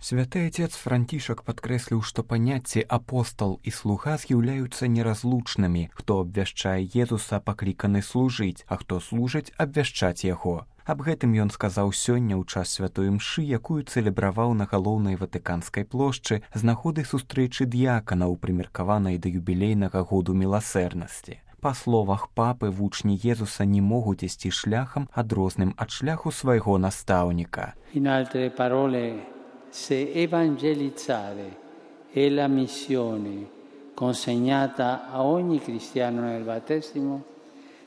Святы отец Францішак падкрэсліў, што паняцці апостал і слуга з'яўляюцца неразлучнымі. Хто абвяшчае Езуса, пакліканы служыць, а хто служыць, абвяшчаць яго. Аб гэтым ён сказаў сёння ў час святой імшы, якую цэлебраваў на галоўнай Ватыканскай плошчы з нагоды сустрэчы д'яканаў, прымеркаванай да юбілейнага году міласэрнасці. Па словах папы, вучні Езуса не могуць ісці шляхам, адрозным ад шляху свайго настаўніка. In altre parole, se evangelizzare è la missione consegnata a ogni cristiano nel battesimo,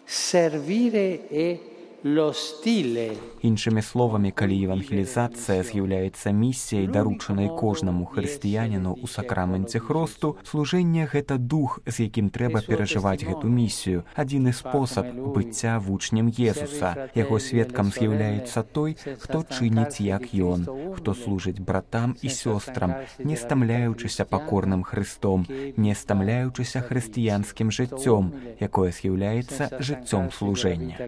servire è lo stile. Іншымі словамі, калі евангелізацыя з'яўляецца місіяй, даручанай кожнаму хрысціяніну ў сакраменце хросту, служэнне — гэта дух, з якім трэба перажываць гэту місію, адзіны спосаб быцця вучнем Езуса. Яго сведкам з'яўляецца той, хто чыніць як ён, хто служыць братам і сёстрам, не стамляючыся пакорным Хрыстом, не стамляючыся хрысціянскім жыццём, якое з'яўляецца жыццём служэння.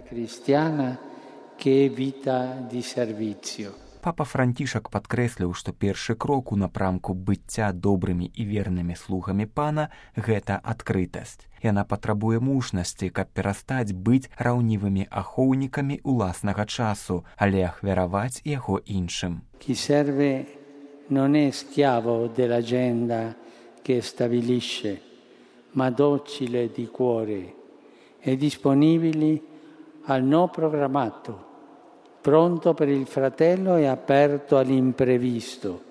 Папа Францішак падкрэсліў, што першы крок у напрамку быцця добрымі і вернымі слугамі пана — гэта адкрытасць. Яна патрабуе мужнасці, каб перастаць быць раўнівымі ахоўнікамі ўласнага часу, але ахвяраваць яго іншым. Chi serve non è schiavo dell'agenda che stabilisce, ma docile di cuore e disponibile al no programmato, pronto per il fratello e aperto all'imprevisto.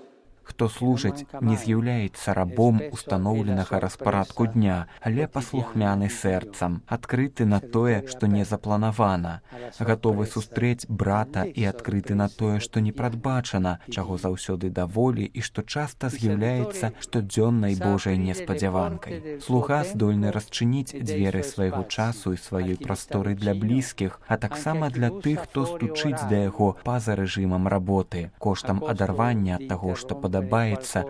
Хто служыць, не з'яўляецца рабом устаноўленага распарадку дня, але паслухмяны сэрцам, адкрыты на тое, што не запланавана, гатовы сустрэць брата і адкрыты на тое, што не прадбачана, чаго заўсёды даволі і што часта з'яўляецца штодзённай Божай неспадзяванкай. Слуга здольны расчыніць дзверы свайго часу і сваёй прасторы для блізкіх, а таксама для тых, хто стучыць да яго па-за рэжымам работы, коштам адарвання ад таго, што падабаецца,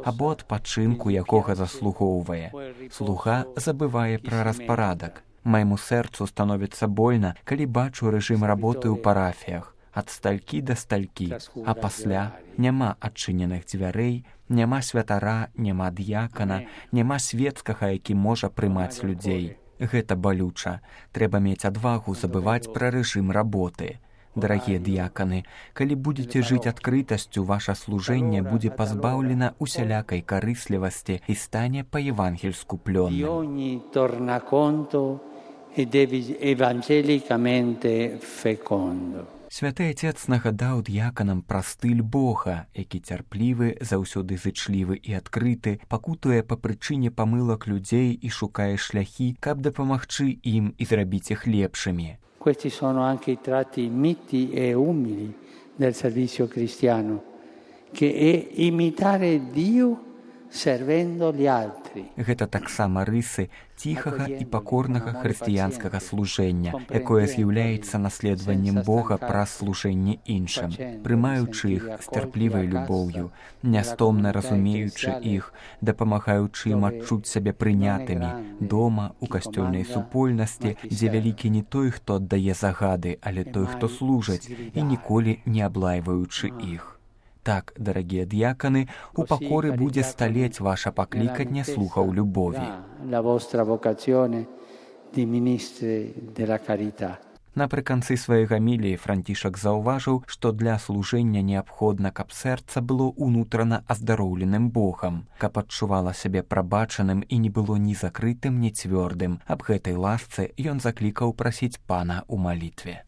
або адпачынку, якога заслугоўвае. Слуга забывае пра распарадак. Майму сэрцу становіцца больна, калі бачу рэжым работы ў парафіях, ад сталькі да сталькі, а пасля няма адчыненых дзвярэй, няма святара, няма д'якана, няма свецкага, які можа прымаць людзей. Гэта балюча. Трэба мець адвагу забываць пра рэжым работы. Дарагія д'яканы, калі будзеце жыць адкрытасцю, ваша служэнне будзе пазбаўлена усялякай карыслівасці і стане па-евангельску плённым. Святы Отец нагадаў д'яканам пра стыль Бога, які цярплівы, заўсёды зычлівы і адкрыты, пакутуе па прычыне памылак людзей і шукае шляхі, каб дапамагчы ім і зрабіць іх лепшымі. Questi sono anche i tratti miti e umili del servizio cristiano, che è imitare Dio servendo gli altri. Гэта таксама рысы ціхага і пакорнага хрысціянскага служэння, якое з'яўляецца наследаваннем Бога праз служэнне іншым, прымаючы іх з цярплівай любоўю, нястомна разумеючы іх, дапамагаючы ім адчуць сябе прынятымі дома, у касцёльнай супольнасці, дзе вялікі не той, хто аддае загады, але той, хто служыць, і ніколі не аблайваючы іх. Так, дарагія д'яканы, у пакоры будзе сталець ваша пакліканне слухаў любові. Напрыканцы сваёй гаміліі Францішак заўважыў, што для служэння неабходна, каб сэрца было ўнутрана аздароўленым Богам, каб адчувала сябе прабачаным і не было ні закрытым, ні цвёрдым. Аб гэтай ласцы ён заклікаў прасіць Пана ў малітве.